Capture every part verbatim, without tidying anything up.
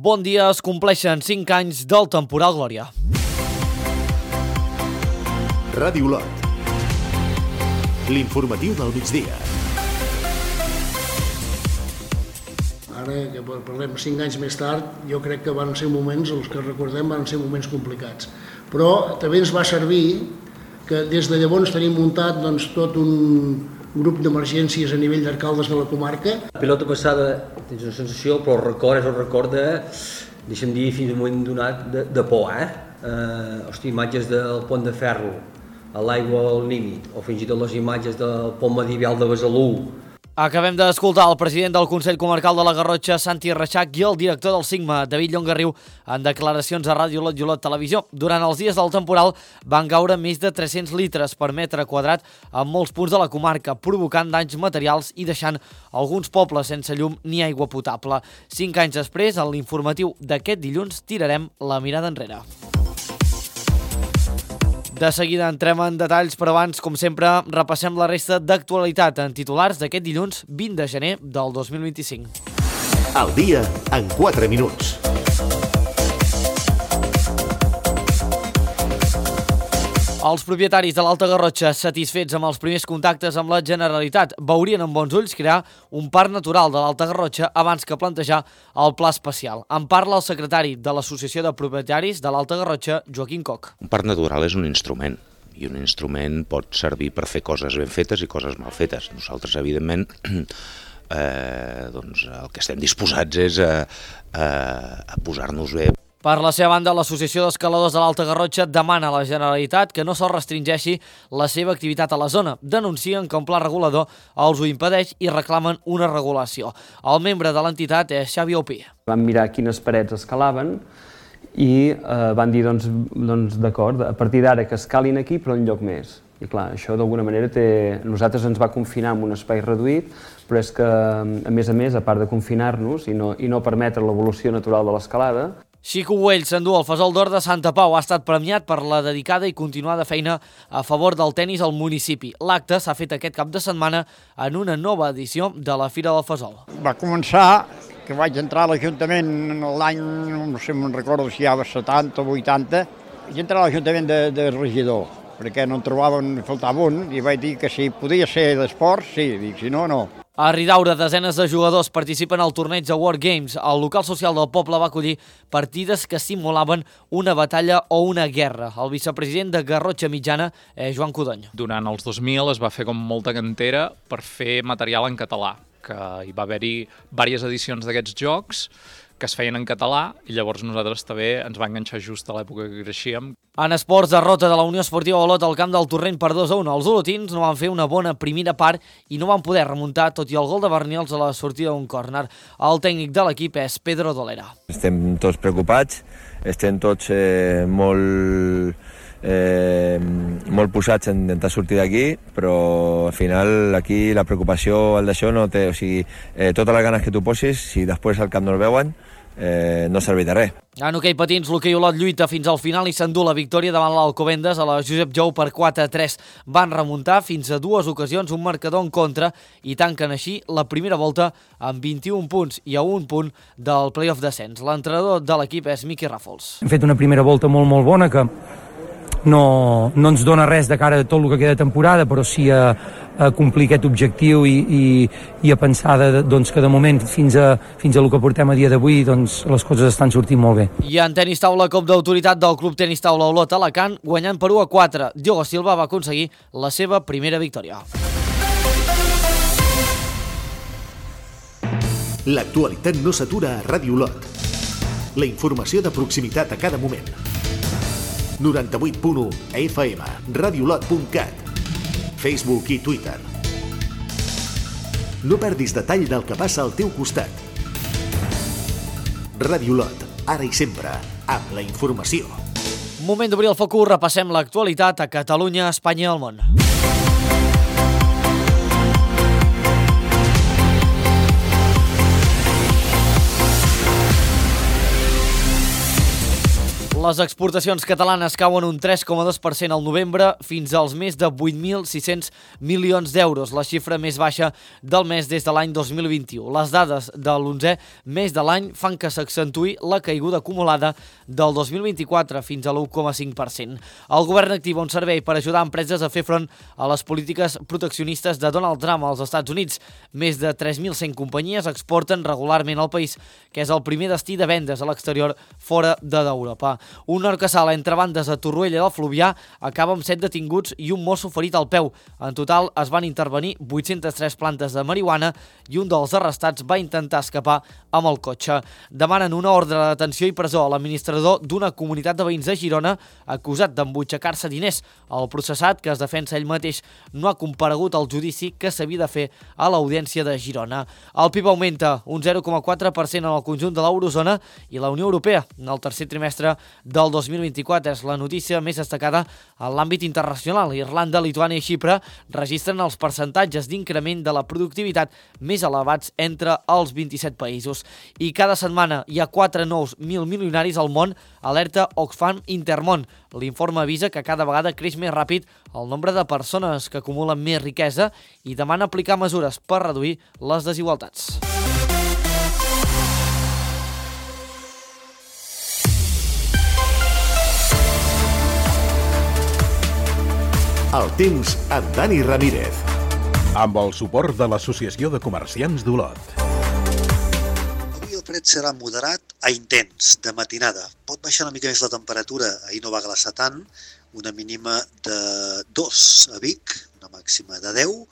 Bon dia, es compleixen cinc anys del temporal Glòria. Ràdio Lot. L'informatiu del migdia. Ara que parlem cinc anys més tard, jo crec que van ser moments, els que recordem, van ser moments complicats. Però també ens va servir que des de llavors tenim muntat doncs, tot un grup d'emergències a nivell d'alcaldes de la comarca. La pilota passada tens una sensació, però el record és el record de, deixa'm dir, fins al moment donat, de, de por, eh? eh? Hosti, imatges del pont de ferro, a l'aigua al límit, o fins i tot les imatges del pont medieval de Besalú. Acabem d'escoltar el president del Consell Comarcal de la Garrotxa, Santi Reixac, i el director del Sigma, David Llongarriu, en declaracions a Ràdio Lot i Olot Televisió. Durant els dies del temporal van caure més de tres-cents litres per metre quadrat en molts punts de la comarca, provocant danys materials i deixant alguns pobles sense llum ni aigua potable. Cinc anys després, en l'informatiu d'aquest dilluns, tirarem la mirada enrere. De seguida entrem en detalls, però abans, com sempre, repassem la resta d'actualitat en titulars d'aquest dilluns vint de gener del dos mil vint-i-cinc. El dia en quatre minuts. Els propietaris de l'Alta Garrotxa, satisfets amb els primers contactes amb la Generalitat, veurien amb bons ulls crear un parc natural de l'Alta Garrotxa abans que plantejar el pla especial. En parla el secretari de l'Associació de Propietaris de l'Alta Garrotxa, Joaquim Coc. Un parc natural és un instrument, i un instrument pot servir per fer coses ben fetes i coses mal fetes. Nosaltres, evidentment, eh, doncs, el que estem disposats és a, a, a posar-nos bé. Per la seva banda, l'Associació d'Escaladors de l'Alta Garrotxa demana a la Generalitat que no se'ls restringeixi la seva activitat a la zona. Denuncien que un pla regulador els ho impedeix i reclamen una regulació. El membre de l'entitat és Xavi Opí. Van mirar quines parets escalaven i eh, van dir, doncs, doncs d'acord, a partir d'ara que escalin aquí però en lloc més. I clar, això d'alguna manera té... Nosaltres ens va confinar en un espai reduït, però és que, a més a més, a part de confinar-nos i no, i no permetre l'evolució natural de l'escalada, Xico Güell s'endú el Fesol d'Or de Santa Pau. Ha estat premiat per la dedicada i continuada feina a favor del tenis al municipi. L'acte s'ha fet aquest cap de setmana en una nova edició de la Fira del Fesol. Va començar que vaig entrar a l'Ajuntament l'any, no sé, me'n recordo si hi havia setanta o vuitanta, vaig entrar a l'Ajuntament de, de regidor, perquè no en trobaven, faltava un, i vaig dir que si podia ser d'esport, sí, dic, si no, no. A Ridaura, desenes de jugadors participen al torneig de World Games. El local social del poble va acollir partides que simulaven una batalla o una guerra. El vicepresident de Garrotxa Mitjana és Joan Codony. Durant els dos mil es va fer com molta cantera per fer material en català, que hi va haver-hi diverses edicions d'aquests jocs que es feien en català i llavors nosaltres també ens va enganxar just a l'època que creixíem. En esports, derrota de la Unió Esportiva Olot al camp del Torrent per dos a un. Els olotins no van fer una bona primera part i no van poder remuntar, tot i el gol de Bernils a la sortida d'un córner. El tècnic de l'equip és Pedro Dolera. Estem tots preocupats, estem tots eh, molt, eh, molt posats en intentar sortir d'aquí, però al final aquí la preocupació al d'això no té... O sigui, eh, totes les ganes que tu posis, si després al camp no el veuen, Eh, no serveix de res. En hoquei patins, l'hoquei Olot lluita fins al final i s'endú la victòria davant l'Alcobendas a la Josep Jou per quatre a tres. Van remuntar fins a dues ocasions un marcador en contra i tanquen així la primera volta amb vint-i-un punts i a un punt del play-off descens. L'entrenador de l'equip és Miqui Ràfols. Hem fet una primera volta molt molt bona que no, no ens dona res de cara a tot el que queda de temporada, però sí a, a complir aquest objectiu i, i, i a pensar de, doncs, que de moment fins a, fins a el que portem a dia d'avui doncs, les coses estan sortint molt bé. I en tenis taula, cop d'autoritat del Club Tenis Taula Olot Alacant, guanyant per u a quatre. Diogo Silva va aconseguir la seva primera victòria. L'actualitat no s'atura a Ràdio Lot. La informació de proximitat a cada moment. noranta-vuit punt u F M, radiolot punt cat, Facebook i Twitter. No perdis detall del que passa al teu costat. Ràdio Lot, ara i sempre, amb la informació. Moment d'obrir el focus, repassem l'actualitat a Catalunya, Espanya i el món. Les exportacions catalanes cauen un tres coma dos per cent al novembre fins als més de vuit mil sis-cents milions d'euros, la xifra més baixa del mes des de l'any dos mil vint-i-u. Les dades de l'onzè mes de l'any fan que s'accentui la caiguda acumulada del dos mil vint-i-quatre fins a l'u coma cinc per cent. El govern activa un servei per ajudar empreses a fer front a les polítiques proteccionistes de Donald Trump als Estats Units. Més de tres mil cent companyies exporten regularment al país, que és el primer destí de vendes a l'exterior fora d'Europa. Un orcassal entre bandes a Torroella del Fluvià acaba amb set detinguts i un mosso ferit al peu. En total es van intervenir vuit-centes tres plantes de marihuana i un dels arrestats va intentar escapar amb el cotxe. Demanen una ordre de detenció i presó a l'administrador d'una comunitat de veïns de Girona acusat d'embutxacar-se diners. El processat, que es defensa ell mateix, no ha comparegut al judici que s'havia de fer a l'Audiència de Girona. El P I B augmenta un zero coma quatre per cent en el conjunt de l'eurozona i la Unió Europea en el tercer trimestre del dos mil vint-i-quatre. És la notícia més destacada en l'àmbit internacional. Irlanda, Lituània i Xipre registren els percentatges d'increment de la productivitat més elevats entre els vint-i-set països. I cada setmana hi ha quatre nous mil milionaris al món, alerta Oxfam Intermón. L'informe avisa que cada vegada creix més ràpid el nombre de persones que acumulen més riquesa i demana aplicar mesures per reduir les desigualtats. El temps amb Dani Ramírez. Amb el suport de l'Associació de Comerciants d'Olot. Avui el fred serà moderat a intens, de matinada. Pot baixar una mica més la temperatura, ahir no va glaçar tant, una mínima de dos a Vic, una màxima de deu,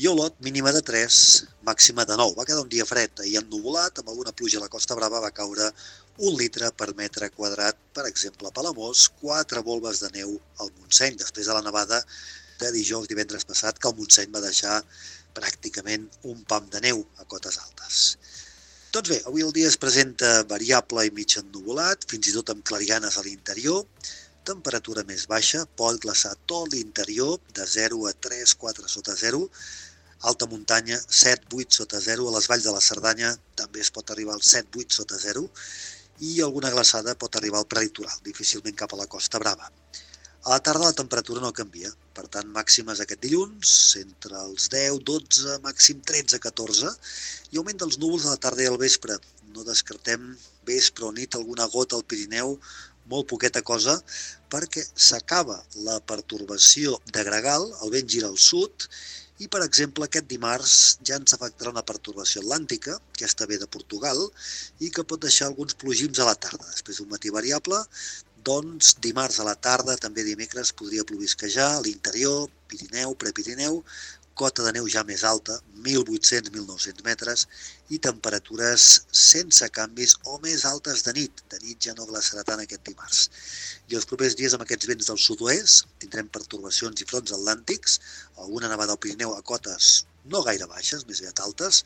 i a Olot mínima de tres, màxima de nou. Va quedar un dia fred, ahir ennuvolat, amb alguna pluja a la Costa Brava va caure un litre per metre quadrat, per exemple, a Palamós, quatre volves de neu al Montseny, després de la nevada de dijous, divendres passat, que el Montseny va deixar pràcticament un pam de neu a cotes altes. Doncs bé, avui el dia es presenta variable i mig ennuvolat, fins i tot amb clarianes a l'interior, temperatura més baixa, pot glaçar tot l'interior, de zero a tres, quatre sota zero, alta muntanya, set, vuit sota zero, a les valls de la Cerdanya també es pot arribar al set, vuit sota zero, i alguna glaçada pot arribar al prelitoral, difícilment cap a la Costa Brava. A la tarda la temperatura no canvia, per tant màximes aquest dilluns, entre els deu, dotze, màxim tretze, catorze, i augment dels núvols a la tarda i al vespre. No descartem vespre o nit alguna gota al Pirineu, molt poqueta cosa, perquè s'acaba la pertorbació de gregal, el vent gira al sud, i, per exemple, aquest dimarts ja ens afectarà una pertorbació atlàntica, aquesta ve de Portugal, i que pot deixar alguns plogims a la tarda. Després d'un matí variable, doncs dimarts a la tarda, també dimecres, podria plovisquejar a l'interior, Pirineu, Prepirineu, cota de neu ja més alta, mil vuit-cents a mil nou-cents metres, i temperatures sense canvis o més altes de nit. De nit ja no glaçarà tant aquest dimarts. I els propers dies amb aquests vents del sud-oest tindrem pertorbacions i fronts atlàntics, alguna nevada al Pirineu a cotes no gaire baixes, més aviat altes,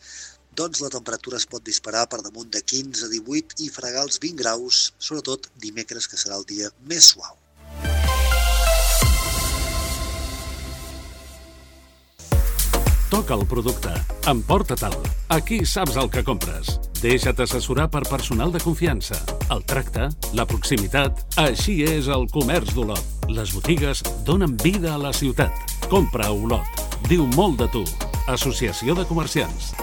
doncs la temperatura es pot disparar per damunt de quinze a divuit i fregar els vint graus, sobretot dimecres, que serà el dia més suau. Toca el producte. Emporta-te'l. Aquí saps el que compres. Deixa't assessorar per personal de confiança. El tracte, la proximitat... Així és el comerç d'Olot. Les botigues donen vida a la ciutat. Compra a Olot. Diu molt de tu. Associació de Comerciants.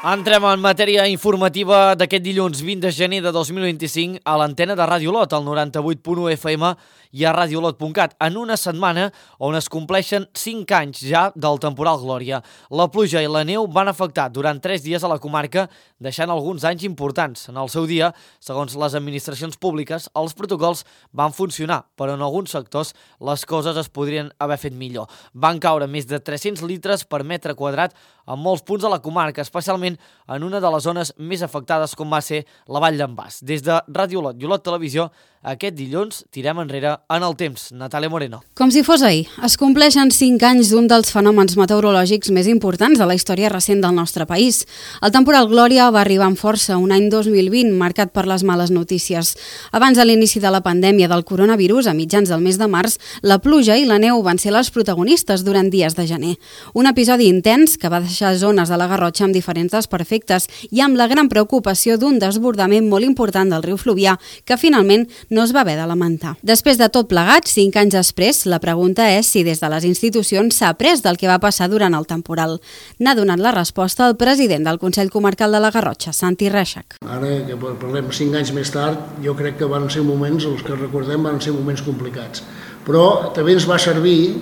Entrem en matèria informativa d'aquest dilluns vint de gener de dos mil vint-i-cinc a l'antena de Ràdio Olot, al noranta-vuit punt u F M i a radiolot punt cat, en una setmana on es compleixen cinc anys ja del temporal Glòria. La pluja i la neu van afectar durant tres dies a la comarca, deixant alguns anys importants. En el seu dia, segons les administracions públiques, els protocols van funcionar, però en alguns sectors les coses es podrien haver fet millor. Van caure més de tres-cents litres per metre quadrat en molts punts de la comarca, especialment en una de les zones més afectades com va ser la Vall d'en Bas. Des de Ràdio Olot i Olot Televisió, aquest dilluns tirem enrere en el temps. Natàlia Moreno. Com si fos ahir, es compleixen cinc anys d'un dels fenòmens meteorològics més importants de la història recent del nostre país. El temporal Glòria va arribar amb força un any dos mil vint marcat per les males notícies. Abans de l'inici de la pandèmia del coronavirus, a mitjans del mes de març, la pluja i la neu van ser les protagonistes durant dies de gener. Un episodi intens que va deixar zones de la Garrotxa amb diferents aigües perfectes i amb la gran preocupació d'un desbordament molt important del riu Fluvià que finalment no es va haver de lamentar. Després de tot plegat, cinc anys després, la pregunta és si des de les institucions s'ha après del que va passar durant el temporal. N'ha donat la resposta el president del Consell Comarcal de la Garrotxa, Santi Reixac. Ara que parlem cinc anys més tard, jo crec que van ser moments, els que recordem, van ser moments complicats. Però també ens va servir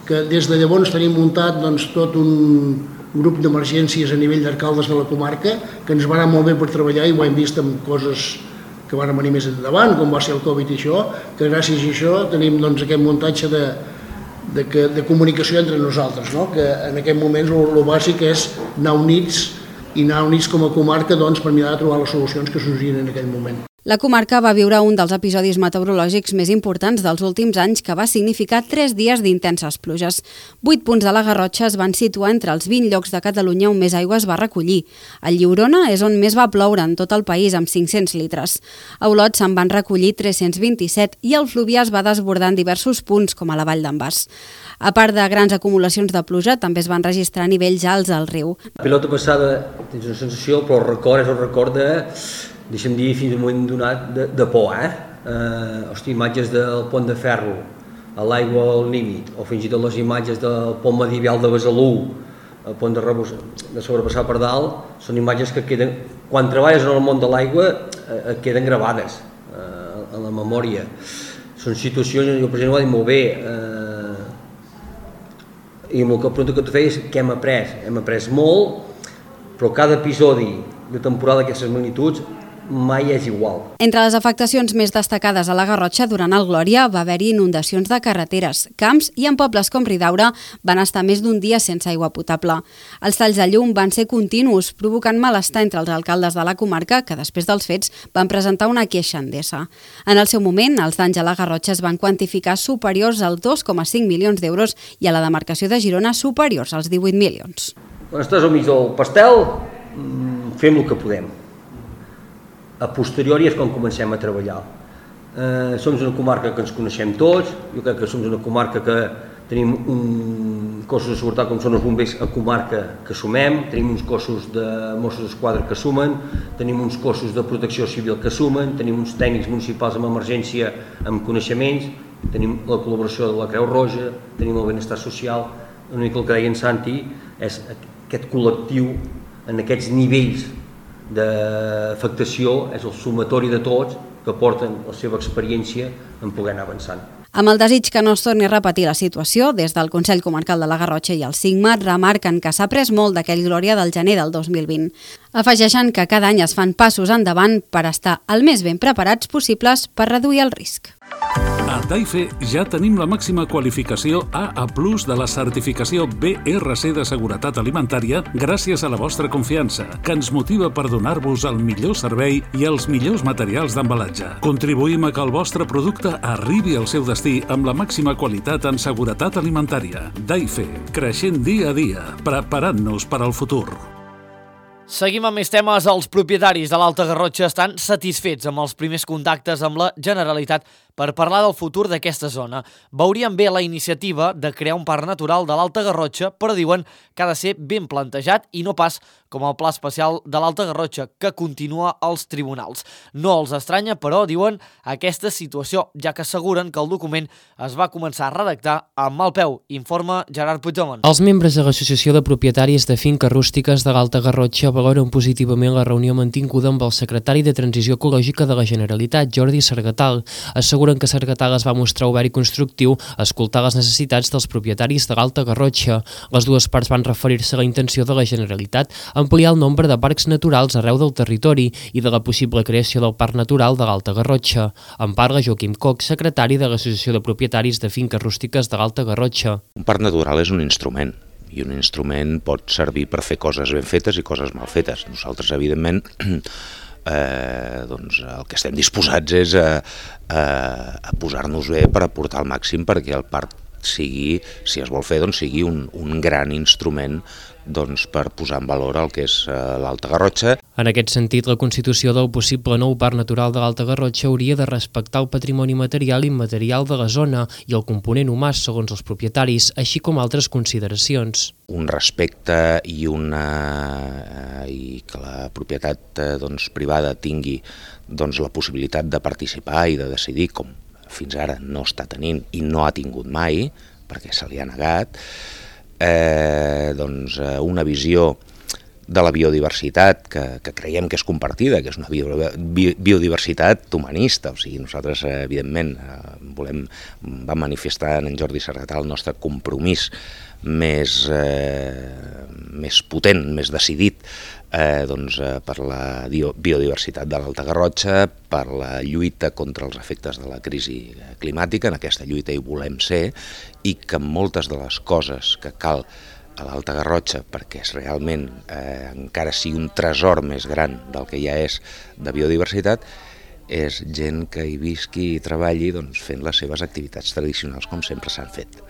que des de llavors tenim muntat doncs, tot un grup d'emergències a nivell d'alcaldes de la comarca que ens va anar molt bé per treballar i ho hem vist amb coses que van venir més endavant, com va ser el Covid i això, que gràcies a això tenim doncs, aquest muntatge de, de, de comunicació entre nosaltres, no? Que en aquest moment el bàsic és anar units i anar units com a comarca doncs, per mirar de trobar les solucions que sorgien en aquell moment. La comarca va viure un dels episodis meteorològics més importants dels últims anys que va significar tres dies d'intenses pluges. Vuit punts de la Garrotxa es van situar entre els vint llocs de Catalunya on més aigua es va recollir. A Lliurona és on més va ploure en tot el país, amb cinc-cents litres. A Olot se'n van recollir tres-cents vint-i-set i el Fluvià es va desbordar en diversos punts, com a la Vall d'en Bas. A part de grans acumulacions de pluja, també es van registrar nivells alts al riu. La pilota passada tens una sensació, però el record és el record de, deixa'm dir, fins al moment donat, de, de por, eh? eh? Hosti, imatges del pont de ferro, a l'aigua al límit, o fins i tot les imatges del pont medieval de Besalú, el pont de, rebus, de sobrepassar per dalt, són imatges que queden, quan treballes en el món de l'aigua, eh, queden gravades eh, en la memòria. Són situacions, jo per exemple ho ha dit molt bé, eh, i amb la pregunta que tu feies, què hem après? Hem après molt, però cada episodi de temporada d'aquestes magnituds mai és igual. Entre les afectacions més destacades a la Garrotxa durant el Glòria va haver-hi inundacions de carreteres, camps i en pobles com Ridaura van estar més d'un dia sense aigua potable. Els talls de llum van ser continus, provocant malestar entre els alcaldes de la comarca que després dels fets van presentar una queixa a Endesa. En el seu moment, els danys a la Garrotxa es van quantificar superiors als dos coma cinc milions d'euros i a la demarcació de Girona superiors als divuit milions. Quan estàs al mig del pastel, fem el que podem. A posteriori és quan comencem a treballar. Eh, som una comarca que ens coneixem tots, jo crec que som una comarca que tenim un cossos de seguretat com són els bombers a comarca que sumem, tenim uns cossos de Mossos d'Esquadra que sumen, tenim uns cossos de protecció civil que sumen, tenim uns tècnics municipals amb emergència amb coneixements, tenim la col·laboració de la Creu Roja, tenim el benestar social, una mica el que deia en Santi, és aquest col·lectiu en aquests nivells d'afectació, és el sumatori de tots que porten la seva experiència en poder anar avançant. Amb el desig que no es torni a repetir la situació, des del Consell Comarcal de la Garrotxa i el Sigmat remarquen que s'ha après molt d'aquell Glòria del gener del dos mil vint. Afegeixen que cada any es fan passos endavant per estar el més ben preparats possibles per reduir el risc. A Daife ja tenim la màxima qualificació A A plus de la certificació B R C de seguretat alimentària gràcies a la vostra confiança, que ens motiva per donar-vos el millor servei i els millors materials d'embalatge. Contribuïm a que el vostre producte arribi al seu destí amb la màxima qualitat en seguretat alimentària. Daife, creixent dia a dia, preparant-nos per al futur. Seguim amb més temes. Els propietaris de l'Alta Garrotxa estan satisfets amb els primers contactes amb la Generalitat per parlar del futur d'aquesta zona. Veurien bé la iniciativa de crear un parc natural de l'Alta Garrotxa, però diuen que ha de ser ben plantejat i no pas com el Pla Especial de l'Alta Garrotxa, que continua als tribunals. No els estranya, però, diuen, aquesta situació, ja que asseguren que el document es va començar a redactar amb mal peu, informa Gerard Puigdemont. Els membres de l'Associació de Propietaris de Finques Rústiques de l'Alta Garrotxa valoren positivament la reunió mantinguda amb el secretari de Transició Ecològica de la Generalitat, Jordi Sargatal. Asseguren que Sargatal es va mostrar obert i constructiu a escoltar les necessitats dels propietaris de l'Alta Garrotxa. Les dues parts van referir-se a la intenció de la Generalitat a ampliar el nombre de parcs naturals arreu del territori i de la possible creació del Parc Natural de l'Alta Garrotxa. En parla Joaquim Coc, secretari de l'Associació de Propietaris de Finques Rústiques de l'Alta Garrotxa. Un parc natural és un instrument, i un instrument pot servir per fer coses ben fetes i coses mal fetes. Nosaltres, evidentment, eh, doncs el que estem disposats és a, a, a posar-nos bé per aportar al màxim perquè el parc sigui, si es vol fer, doncs sigui un, un gran instrument doncs, per posar en valor el que és uh, l'Alta Garrotxa. En aquest sentit, la constitució del possible nou parc natural de l'Alta Garrotxa hauria de respectar el patrimoni material i immaterial de la zona i el component humà segons els propietaris, així com altres consideracions. Un respecte i, una, uh, i que la propietat uh, doncs, privada tingui doncs, la possibilitat de participar i de decidir, com fins ara no està tenint i no ha tingut mai, perquè se li ha negat, Eh, doncs, eh, una visió de la biodiversitat que, que creiem que és compartida, que és una bio, bi, biodiversitat humanista, o sigui, nosaltres eh, evidentment eh, volem, vam manifestar en Jordi Sargatà el nostre compromís més, eh, més potent, més decidit eh, doncs, eh, per la biodiversitat de l'Alta Garrotxa, per la lluita contra els efectes de la crisi climàtica. En aquesta lluita hi volem ser, i que moltes de les coses que cal a l'Alta Garrotxa perquè és realment eh, encara sigui un tresor més gran del que ja és de biodiversitat, és gent que hi visqui i treballi doncs, fent les seves activitats tradicionals com sempre s'han fet.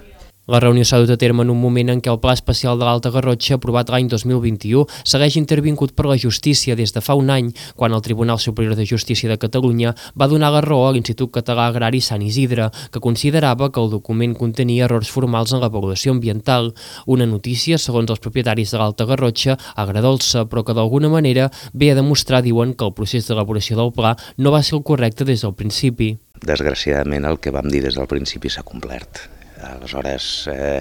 La reunió s'ha dut a terme en un moment en què el Pla Especial de l'Alta Garrotxa, aprovat l'any dos mil vint-i-u, segueix intervingut per la justícia des de fa un any, quan el Tribunal Superior de Justícia de Catalunya va donar la raó a l'Institut Català Agrari Sant Isidre, que considerava que el document contenia errors formals en l'avaluació ambiental, una notícia, segons els propietaris de l'Alta Garrotxa, agradolça, però que d'alguna manera ve a demostrar, diuen, que el procés d'elaboració del pla no va ser el correcte des del principi. Desgraciadament, el que vam dir des del principi s'ha complert. Aleshores, eh,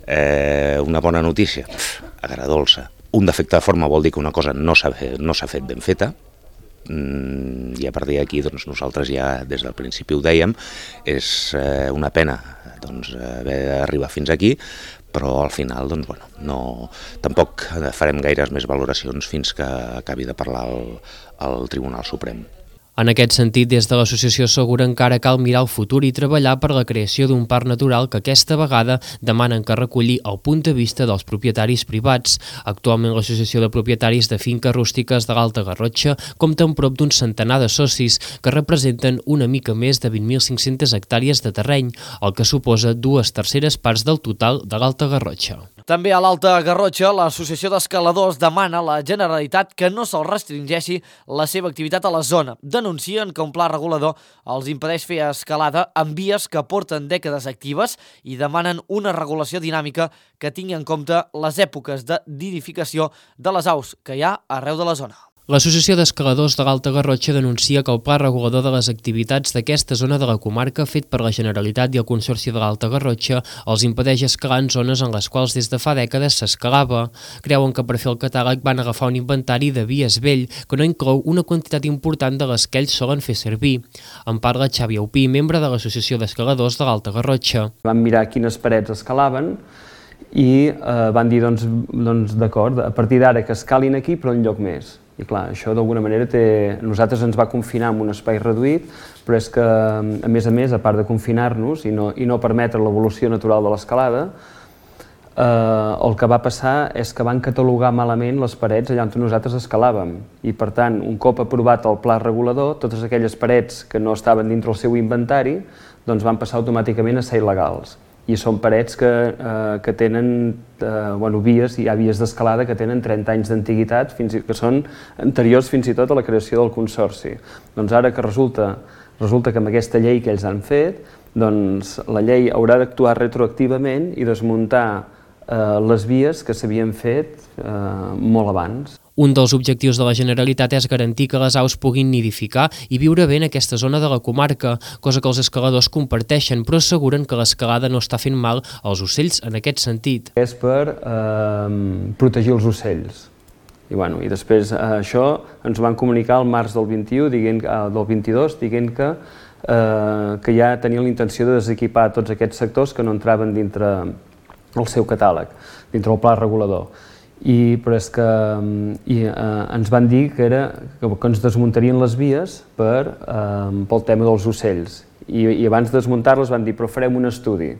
eh, una bona notícia, agradolça. Un defecte de forma vol dir que una cosa no s'ha no s'ha fet ben feta, mm, i a partir d'aquí doncs, nosaltres ja des del principi ho dèiem, és eh, una pena doncs, haver d'arribar fins aquí, però al final doncs, bueno, no, tampoc farem gaires més valoracions fins que acabi de parlar el, el Tribunal Suprem. En aquest sentit, des de l'associació asseguren que ara cal mirar el futur i treballar per la creació d'un parc natural que aquesta vegada demanen que reculli el punt de vista dels propietaris privats. Actualment l'associació de propietaris de finques rústiques de l'Alta Garrotxa compta amb prop d'un centenar de socis que representen una mica més de vint mil cinc-centes hectàrees de terreny, el que suposa dues terceres parts del total de l'Alta Garrotxa. També a l'Alta Garrotxa, l'Associació d'Escaladors demana a la Generalitat que no se'ls restringeixi la seva activitat a la zona. Denuncien que un pla regulador els impedeix fer escalada en vies que porten dècades actives i demanen una regulació dinàmica que tingui en compte les èpoques de nidificació de les aus que hi ha arreu de la zona. L'Associació d'Escaladors de l'Alta Garrotxa denuncia que el pla regulador de les activitats d'aquesta zona de la comarca fet per la Generalitat i el Consorci de l'Alta Garrotxa els impedeix escalar en zones en les quals des de fa dècades s'escalava. Creuen que per fer el catàleg van agafar un inventari de vies vell que no inclou una quantitat important de les que ells solen fer servir. En parla Xavi Aupí, membre de l'Associació d'Escaladors de l'Alta Garrotxa. Vam mirar quines parets escalaven i eh, van dir, doncs, doncs d'acord, a partir d'ara que escalin aquí però enlloc més. I clar, això d'alguna manera té... Nosaltres ens va confinar en un espai reduït, però és que, a més a més, a part de confinar-nos i no, i no permetre l'evolució natural de l'escalada, eh, el que va passar és que van catalogar malament les parets allà on nosaltres escalàvem. I, per tant, un cop aprovat el pla regulador, totes aquelles parets que no estaven dintre el seu inventari doncs van passar automàticament a ser il·legals. I són parets que, eh, que tenen eh, bueno, vies, hi ha vies d'escalada que tenen trenta anys d'antiguitat, fins i, que són anteriors fins i tot a la creació del Consorci. Doncs ara que resulta, resulta que amb aquesta llei que ells han fet, doncs la llei haurà d'actuar retroactivament i desmuntar eh, les vies que s'havien fet eh, molt abans. Un dels objectius de la Generalitat és garantir que les aus puguin nidificar i viure bé en aquesta zona de la comarca, cosa que els escaladors comparteixen, però asseguren que l'escalada no està fent mal als ocells en aquest sentit. És per eh, protegir els ocells. I, bueno, i després eh, això ens ho van comunicar el març del vint-i-u, dient, eh, del vint-i-dos, dient que, eh, que ja tenien la intenció de desequipar tots aquests sectors que no entraven dintre el seu catàleg, dintre el pla regulador. I, però és que i, eh, ens van dir que, era, que, que ens desmuntarien les vies per, eh, pel tema dels ocells. I, i abans de desmuntar-les van dir, però farem un estudi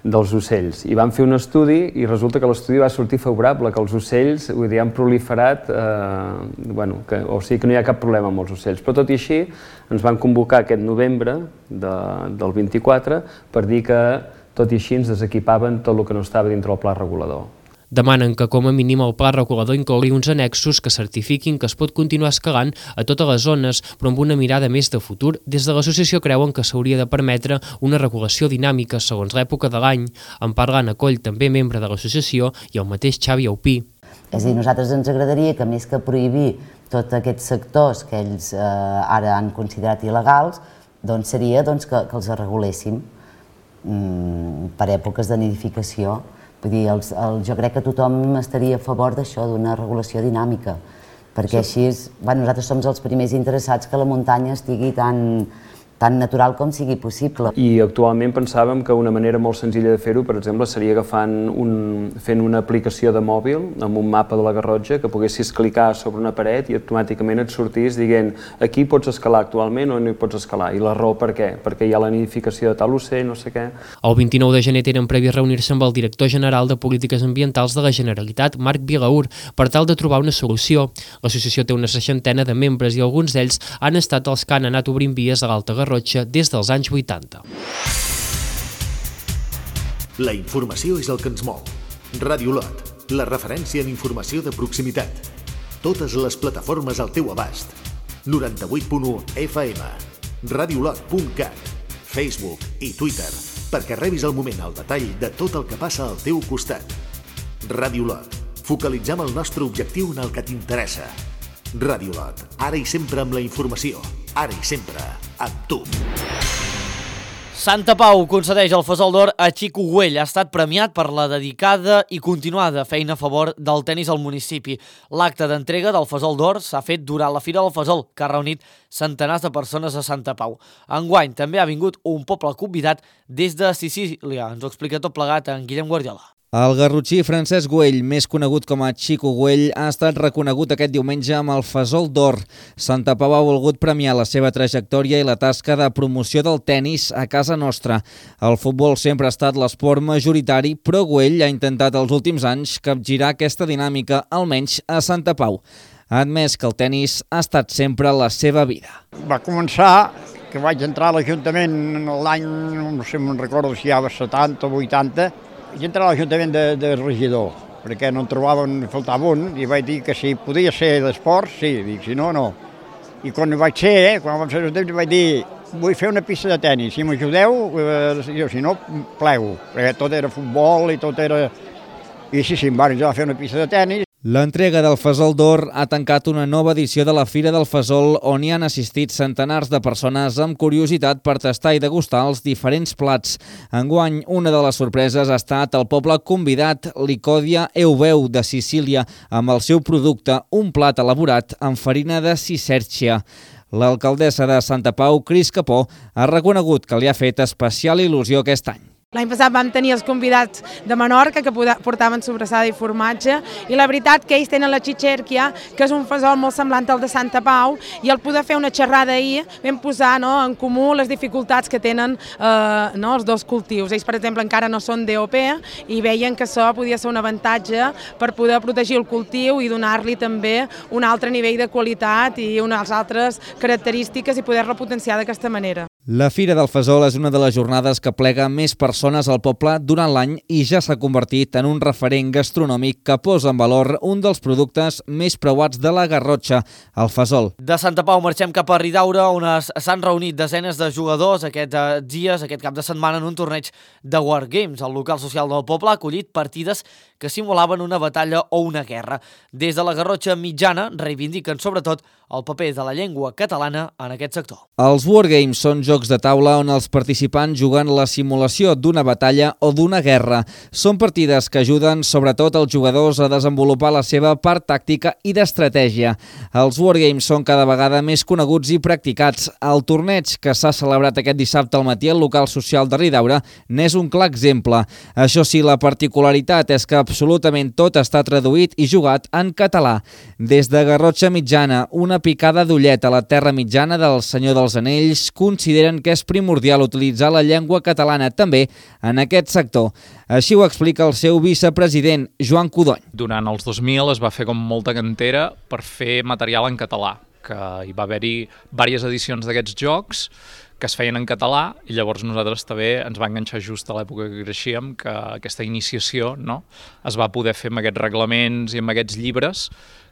dels ocells. I van fer un estudi i resulta que l'estudi va sortir favorable, que els ocells vull dir, han proliferat, eh, bueno, que, o sigui que no hi ha cap problema amb els ocells. Però tot i així ens van convocar aquest novembre de, del vint-i-quatre per dir que tot i així ens desequipaven tot el que no estava dintre el pla regulador. Demanen que com a mínim el pla regulador inclogui uns annexos que certifiquin que es pot continuar escalant a totes les zones, però amb una mirada més de futur. Des de l'associació creuen que s'hauria de permetre una regulació dinàmica segons l'època de l'any. En parlant Acoll, també membre de l'associació, i el mateix Xavi Aupí. És a dir, nosaltres ens agradaria que més que prohibir tots aquests sectors que ells eh, ara han considerat il·legals, doncs seria doncs, que, que els reguléssim mm, per èpoques de nidificació. Vull dir, els, el, jo crec que tothom estaria a favor d'això, d'una regulació dinàmica, perquè així és, bueno, nosaltres som els primers interessats que la muntanya estigui tan, tan natural com sigui possible. I actualment pensàvem que una manera molt senzilla de fer-ho, per exemple, seria agafant un, fent una aplicació de mòbil amb un mapa de la Garrotxa que poguessis clicar sobre una paret i automàticament et sortís dient aquí pots escalar actualment o no hi pots escalar. I la raó per què? Perquè hi ha la nidificació de tal ocell, no sé què. El vint-i-nou de gener tenen previ reunir-se amb el director general de Polítiques Ambientals de la Generalitat, Marc Vilaur, per tal de trobar una solució. L'associació té una seixantena de membres i alguns d'ells han estat els que han anat obrint vies a l'Alta Garrotxa des dels anys vuitanta. La informació és el que ens mou. Ràdio Lot, la referència en informació de proximitat. Totes les plataformes al teu abast. noranta-vuit punt u F M, radiolot punt cat, Facebook i Twitter, perquè rebis al moment el detall de tot el que passa al teu costat. Ràdio Lot, focalitzem el nostre objectiu en el que t'interessa. Ràdio Lot, ara i sempre amb la informació, ara i sempre amb tu. Santa Pau concedeix el Fesol d'Or a Xico Güell. Ha estat premiat per la dedicada i continuada feina a favor del tenis al municipi. L'acte d'entrega del Fesol d'Or s'ha fet durant la Fira del Fesol, que ha reunit centenars de persones a Santa Pau. Enguany també ha vingut un poble convidat des de Sicília. Ens ho explica tot plegat en Guillem Guardiola. El garrotxí Francesc Güell, més conegut com a Xico Güell, ha estat reconegut aquest diumenge amb el Fesol d'Or. Santa Pau ha volgut premiar la seva trajectòria i la tasca de promoció del tenis a casa nostra. El futbol sempre ha estat l'esport majoritari, però Güell ha intentat els últims anys capgirar aquesta dinàmica, almenys a Santa Pau. Ha admès que el tenis ha estat sempre la seva vida. Va començar que vaig entrar a l'Ajuntament l'any, no sé, me'n recordo si hi havia setanta o vuitanta, vaig entrar a l'Ajuntament de, de regidor, perquè no en trobaven, faltava un, i vaig dir que si podia ser d'esport, sí, dic, si no, no. I quan vaig ser, eh, quan vam ser l'Ajuntament, vaig dir, vull fer una pista de tenis, si m'ajudeu, eh, si no, plego, perquè tot era futbol i tot era... I sí, sí, em van ajudar a fer una pista de tenis. L'entrega del Fesol d'Or ha tancat una nova edició de la Fira del Fesol on hi han assistit centenars de persones amb curiositat per tastar i degustar els diferents plats. Enguany, una de les sorpreses ha estat el poble convidat Licòdia Eubeu de Sicília amb el seu producte, un plat elaborat amb farina de cicercia. L'alcaldessa de Santa Pau, Cris Capó, ha reconegut que li ha fet especial il·lusió aquest any. L'any passat vam tenir els convidats de Menorca que portaven sobrassada i formatge i la veritat que ells tenen la cicercia, que és un fesol molt semblant al de Santa Pau, i al poder fer una xerrada ahir vam posar no, en comú les dificultats que tenen eh, no, els dos cultius. Ells, per exemple, encara no són D O P i veien que això podia ser un avantatge per poder protegir el cultiu i donar-li també un altre nivell de qualitat i unes altres característiques i poder-lo potenciar d'aquesta manera. La Fira del Fesol és una de les jornades que plega més persones al poble durant l'any i ja s'ha convertit en un referent gastronòmic que posa en valor un dels productes més preuats de la Garrotxa, el fesol. De Santa Pau marxem cap a Ridaura, on s'han reunit desenes de jugadors aquests dies, aquest cap de setmana, en un torneig de Wargames. El local social del poble ha acollit partides que simulaven una batalla o una guerra. Des de la Garrotxa mitjana reivindiquen sobretot el paper de la llengua catalana en aquest sector. Els Wargames són jocs de taula on els participants juguen la simulació d'una batalla o d'una guerra. Són partides que ajuden sobretot els jugadors a desenvolupar la seva part tàctica i d'estratègia. Els Wargames són cada vegada més coneguts i practicats. El torneig que s'ha celebrat aquest dissabte al matí al local social de Ridaura n'és un clar exemple. Això sí, la particularitat és que absolutament tot està traduït i jugat en català. Des de Garrotxa mitjana, una picada d'ullet a la terra mitjana del Senyor dels Anells consideren que és primordial utilitzar la llengua catalana també en aquest sector. Així ho explica el seu vicepresident, Joan Codony. Durant els dos mil es va fer com molta cantera per fer material en català, que hi va haver-hi diverses edicions d'aquests jocs que es feien en català i llavors nosaltres també ens va enganxar just a l'època que creixíem que aquesta iniciació, no?, es va poder fer amb aquests reglaments i amb aquests llibres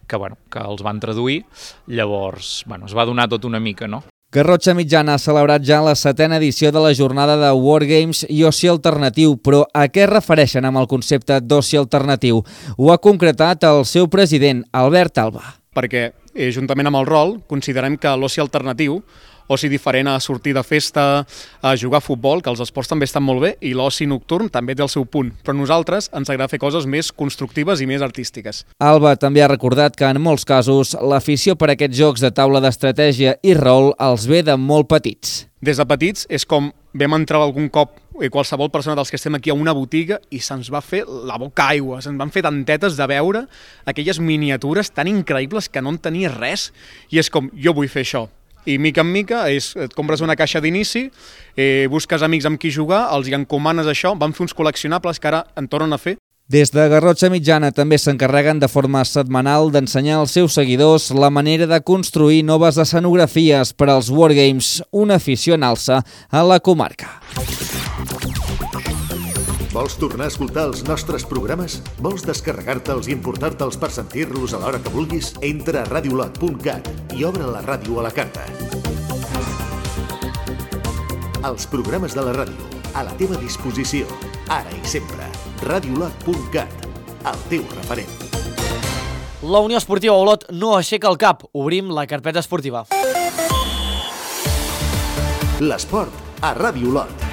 que, bueno, que els van traduir, llavors bueno, es va donar tot una mica, no? Garrotxa Mitjana ha celebrat ja la setena edició de la jornada de Wargames i Oci Alternatiu, però a què es refereixen amb el concepte d'oci alternatiu? Ho ha concretat el seu president, Albert Alba. Perquè, eh, juntament amb el rol, considerem que l'oci alternatiu, oci diferent a sortir de festa, a jugar a futbol, que els esports també estan molt bé, i l'oci nocturn també té el seu punt. Però a nosaltres ens agrada fer coses més constructives i més artístiques. Alba també ha recordat que en molts casos l'afició per aquests jocs de taula d'estratègia i rol els ve de molt petits. Des de petits és com vam entrar algun cop i qualsevol persona dels que estem aquí a una botiga i se'ns va fer la boca aigua, se'ns van fer tantetes de veure aquelles miniatures tan increïbles que no en tenies res i és com, jo vull fer això. I mica en mica és, et compres una caixa d'inici, eh, busques amics amb qui jugar, els hi encomanes això, van fer uns col·leccionables que ara en tornen a fer. Des de Garrotxa Mitjana també s'encarreguen de forma setmanal d'ensenyar als seus seguidors la manera de construir noves escenografies per als Wargames, una afició en alça a la comarca. Vols tornar a escoltar els nostres programes? Vols descarregar-te'ls i importar-te'ls per sentir-los a l'hora que vulguis? Entra a radiolot punt cat i obre la ràdio a la carta. Els programes de la ràdio, a la teva disposició, ara i sempre. radiolot punt cat, el teu referent. La Unió Esportiva Olot no aixeca el cap. Obrim la carpeta esportiva. L'esport a Ràdio Olot.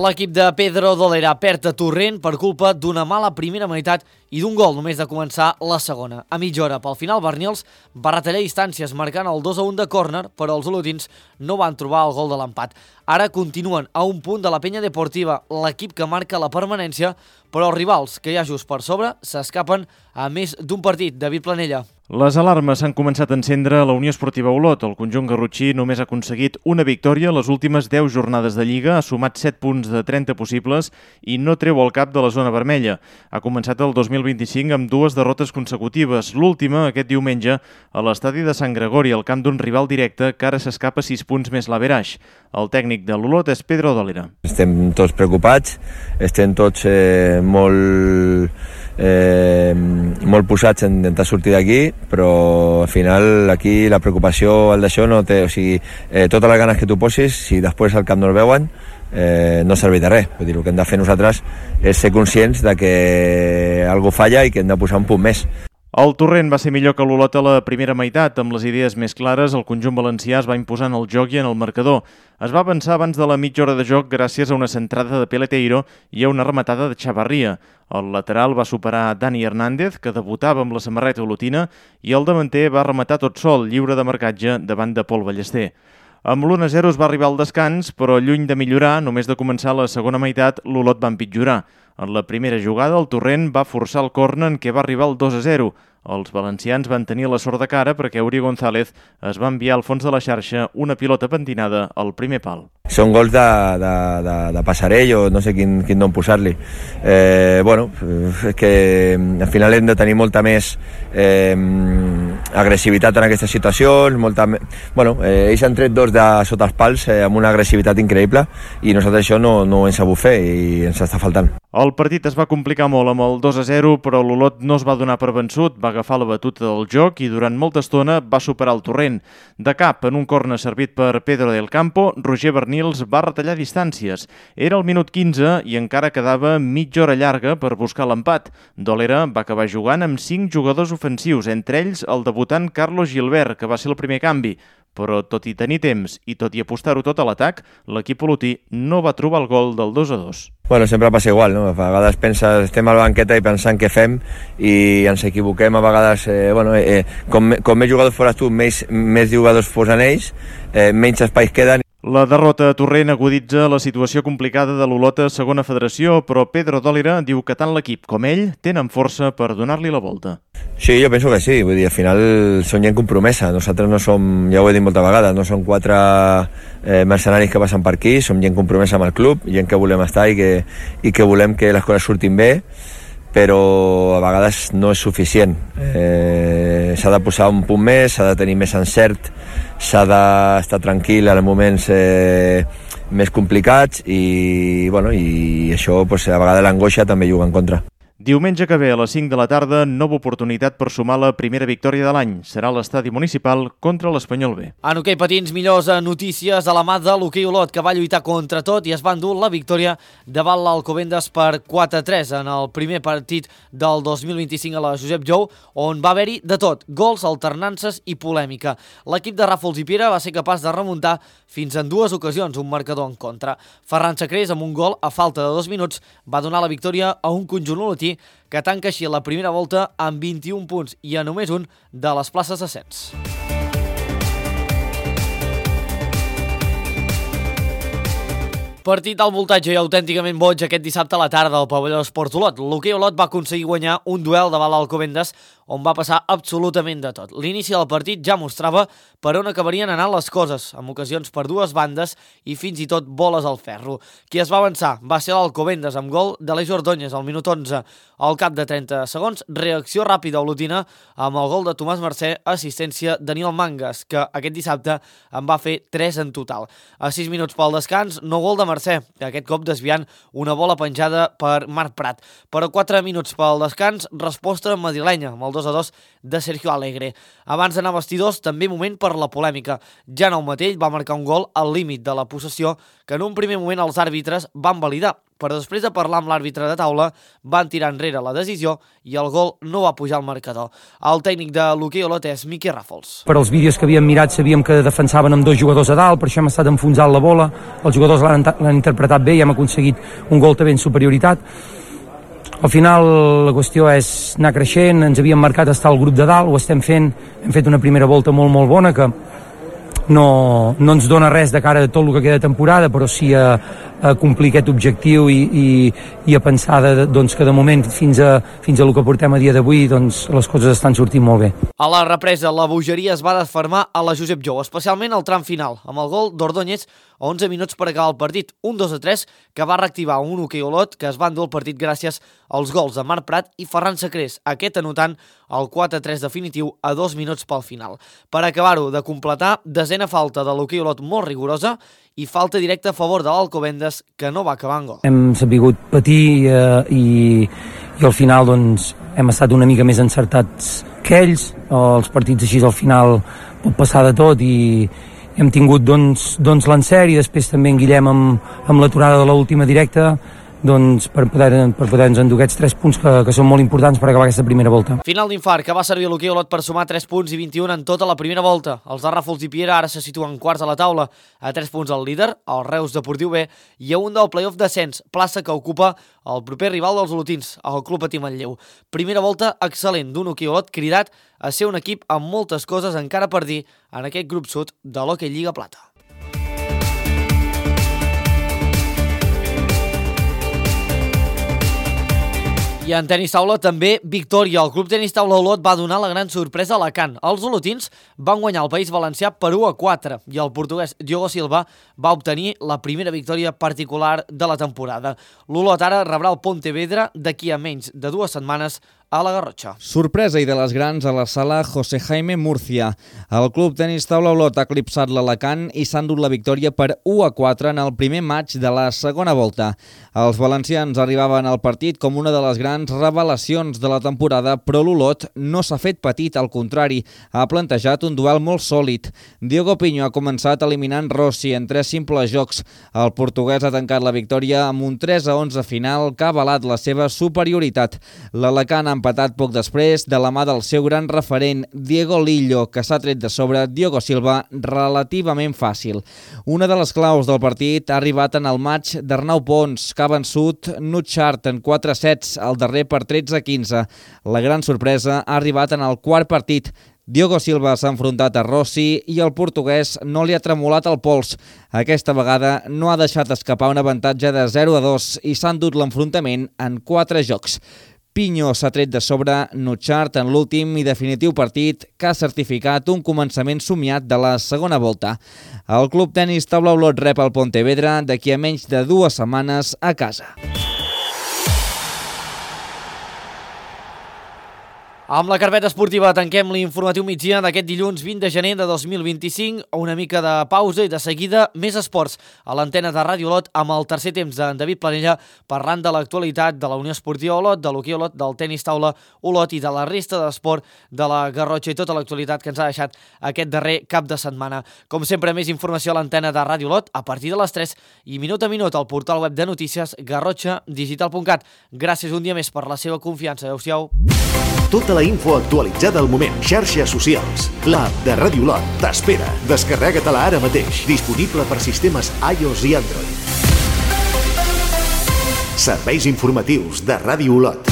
L'equip de Pedro Dolera perd a Torrent per culpa d'una mala primera meitat i d'un gol només de començar la segona. A mitja hora, pel final, Bernils va retallar distàncies marcant el dos a un de córner, però els olotins no van trobar el gol de l'empat. Ara continuen a un punt de la Penya Deportiva, l'equip que marca la permanència, però els rivals, que hi ha just per sobre, s'escapen a més d'un partit. David Planella. Les alarmes s'han començat a encendre a la Unió Esportiva Olot. El conjunt garrotxí només ha aconseguit una victòria a les últimes deu jornades de Lliga, ha sumat set punts de trenta possibles i no treu el cap de la zona vermella. Ha començat el dos mil vint-i-cinc amb dues derrotes consecutives, l'última aquest diumenge a l'estadi de Sant Gregori, al camp d'un rival directe que ara s'escapa sis punts més l'Averaix. El tècnic de l'Olot és Pedro Dolera. Estem tots preocupats, estem tots eh, molt... Eh, molt posats en intentar sortir d'aquí, però al final aquí la preocupació al d'això no té, o sigui, eh, totes les ganes que tu posis, si després al camp no el veuen, eh, no serveix de res. Vull dir, el que hem de fer nosaltres és ser conscients de que algú falla i que hem de posar un punt més. El Torrent va ser millor que l'Olot a la primera meitat. Amb les idees més clares, el conjunt valencià es va imposar en el joc i en el marcador. Es va avançar abans de la mitja hora de joc gràcies a una centrada de Peleteiro i a una rematada de Chavarria. El lateral va superar Dani Hernández, que debutava amb la samarreta olotina, i el davanter va rematar tot sol, lliure de marcatge, davant de Pol Ballester. Amb l'u a zero es va arribar al descans, però lluny de millorar, només de començar la segona meitat, l'Olot va empitjorar. En la primera jugada, el Torrent va forçar el córner en què va arribar el dos a zero. Els valencians van tenir la sort de cara perquè Uri González es va enviar al fons de la xarxa una pilota pentinada al primer pal. Són gols de, de, de, de passarell o no sé quin, quin nom posar-li. Eh, bueno, és que al final hem de tenir molta més eh, agressivitat en aquestes situacions. Molta, bueno, eh, ells han tret dos de sota els pals eh, amb una agressivitat increïble i nosaltres això no, no ho hem sabut fer i ens està faltant. El partit es va complicar molt amb el dos a zero, però l'Olot no es va donar per vençut, va agafar la batuta del joc i durant molta estona va superar el Torrent. De cap, en un córner servit per Pedro del Campo, Roger Bernils va retallar distàncies. Era el minut quinze i encara quedava mitja hora llarga per buscar l'empat. Dolera va acabar jugant amb cinc jugadors ofensius, entre ells el debutant Carlos Gilbert, que va ser el primer canvi. Però tot i tenir temps i tot i apostar-ho tot a l'atac, l'equip olotí no va trobar el gol del dos a dos. Bueno, sempre passa igual, no? A vegades penses, estem a la banqueta i pensant què fem i ens equivoquem a vegades. Eh, bueno, eh, com, com més jugadors fores tu, més, més jugadors posen ells, eh, menys espais queden. La derrota a Torrent aguditza la situació complicada de l'Olot a segona federació, però Pedro Dolera diu que tant l'equip com ell tenen força per donar-li la volta. Sí, jo penso que sí, vull dir, al final som gent compromesa, nosaltres no som, ja ho he dit moltes vegades, no som quatre eh, mercenaris que passen per aquí, som gent compromesa amb el club, gent que volem estar i que, i que volem que les coses surtin bé. però a vegades no és suficient. Eh, s'ha de posar un punt més, s'ha de tenir més encert, s'ha d'estar tranquil en moments eh, més complicats i, bueno, i això pues, a vegades l'angoixa també juga en contra. Diumenge que ve a les cinc de la tarda, nova oportunitat per sumar la primera victòria de l'any. Serà a l'estadi municipal contra l'Espanyol B. En hoquei patins, millors notícies a la mà de l'hoquei Olot, que va lluitar contra tot i es va endur la victòria davant l'Alcobendas per quatre a tres en el primer partit del dos mil vint-i-cinc a la Josep Jou, on va haver-hi de tot, gols, alternances i polèmica. L'equip de Ràfols i Piera va ser capaç de remuntar fins en dues ocasions un marcador en contra. Ferran Sacrés, amb un gol a falta de dos minuts, va donar la victòria a un conjunt olotí que tanca així la primera volta amb vint-i-un punts i a només un de les places d'ascens. Partit al voltatge i autènticament boig aquest dissabte a la tarda al pavelló Esports Olot. L'hoquei Olot va aconseguir guanyar un duel davant l'Alcobendas on va passar absolutament de tot. L'inici del partit ja mostrava per on acabarien anant les coses, amb ocasions per dues bandes i fins i tot boles al ferro. Qui es va avançar va ser l'Alcobendas amb gol d'Aleix Ordóñez al minut onze. Al cap de trenta segons, reacció ràpida olotina amb el gol de Tomàs Mercè, assistència Daniel Mangas, que aquest dissabte en va fer tres en total. A sis minuts pel descans, no gol de Mercè, aquest cop desviant una bola penjada per Marc Prat. Però quatre minuts pel descans, resposta madrilenya amb el dos a dos de Sergio Alegre. Abans d'anar a vestidors, també moment per la polèmica. Jan Aumatell va marcar un gol al límit de la possessió que en un primer moment els àrbitres van validar, però després de parlar amb l'àrbitre de taula van tirar enrere la decisió i el gol no va pujar al marcador. El tècnic de l'hoquei Olot és Miqui Ràfols. Per als vídeos que havíem mirat sabíem que defensaven amb dos jugadors a dalt, per això hem estat enfonsant la bola, els jugadors l'han interpretat bé i hem aconseguit un gol també en superioritat. Al final la qüestió és anar creixent, ens havíem marcat estar al grup de dalt, ho estem fent, hem fet una primera volta molt molt bona que no, no ens dona res de cara a tot el que queda de temporada, però sí a, a complir aquest objectiu i, i, i a pensar de, doncs, que de moment fins a, fins a el que portem a dia d'avui doncs, les coses estan sortint molt bé. A la represa, la bogeria es va desfermar a la Josep Jou, especialment al tram final, amb el gol d'Ordóñez a onze minuts per acabar el partit, un dos a tres que va reactivar un hoquei Olot que es va endur el partit gràcies als gols de Marc Prat i Ferran Sacrés, aquest anotant el quatre a tres definitiu a dos minuts pel final. Per acabar-ho de completar, desena falta de l'hoquei Olot molt rigorosa i falta directa a favor de l'Alcobendas que no va acabar en gol. Hem sabut patir eh, i, i al final doncs, hem estat una mica més encertats que ells. Els partits així al final pot passar de tot i hem tingut doncs, doncs l'encert i després també en Guillem amb, amb l'aturada de l'última directa doncs, per poder-nos per poder endur aquests tres punts que, que són molt importants per acabar aquesta primera volta. Final d'infart que va servir a l'hoquei Olot per sumar tres punts i vint-i-un en tota la primera volta. Els de Ràfols i Piera ara se situen quarts a la taula, a tres punts al líder, el Reus Deportiu B, i a un del play-off descens, plaça que ocupa el proper rival dels olotins, el Club Patí Manlleu. Primera volta excel·lent d'un hoquei Olot cridat a ser un equip amb moltes coses encara per dir en aquest grup sud de l'Hockey Lliga Plata. I en tenis taula també victòria. El Club Tenis Taula Olot va donar la gran sorpresa a Alacant. Els olotins van guanyar el País Valencià per u a quatre i el portuguès Diogo Silva va obtenir la primera victòria particular de la temporada. L'Olot ara rebrà el Pontevedra d'aquí a menys de dues setmanes a la Garrotxa. Sorpresa i de les grans a la sala José Jaime Murcia. El Club Tenis Taula Olot ha eclipsat l'Alacant i s'ha endut la victòria per u a quatre en el primer maig de la segona volta. Els valencians arribaven al partit com una de les grans revelacions de la temporada, però l'Olot no s'ha fet petit, al contrari, ha plantejat un duel molt sòlid. Diogo Pinho ha començat eliminant Rossi en tres simples jocs. El portuguès ha tancat la victòria amb un tres a onze final que ha avalat la seva superioritat. L'Alacant ha empatat poc després de la mà del seu gran referent Diego Lillo, que s'ha tret de sobre Diogo Silva relativament fàcil. Una de les claus del partit ha arribat en el maig d'Arnau Pons, que ha vençut Nutchart en quatre sets, al darrer per tretze a quinze. La gran sorpresa ha arribat en el quart partit. Diogo Silva s'ha enfrontat a Rossi i el portuguès no li ha tremolat el pols. Aquesta vegada no ha deixat escapar un avantatge de zero a dos i s'ha endut l'enfrontament en quatre jocs. Pinho s'ha tret de sobre Nutchart en l'últim i definitiu partit que ha certificat un començament somiat de la segona volta. El Club Tenis Taula Olot rep el Pontevedra d'aquí a menys de dues setmanes a casa. Amb la carpeta esportiva tanquem l'informatiu migdia d'aquest dilluns vint de gener de dos mil vint-i-cinc. Una mica de pausa i de seguida més esports a l'antena de Ràdio Olot amb el tercer temps d'en David Planella parlant de l'actualitat de la Unió Esportiva Olot, de l'hoquei Olot, del tenis taula Olot i de la resta d'esport de la Garrotxa i tota l'actualitat que ens ha deixat aquest darrer cap de setmana. Com sempre, més informació a l'antena de Ràdio Olot a partir de les tres i minut a minut al portal web de notícies garrotxa digital punt cat. Gràcies un dia més per la seva confiança. Adéu-siau. Tota la info actualitzada al moment. Xarxes socials. L'app de Ràdio Olot t'espera. Descarrega-te-la ara mateix. Disponible per sistemes iOS i Android. Serveis informatius de Ràdio Olot.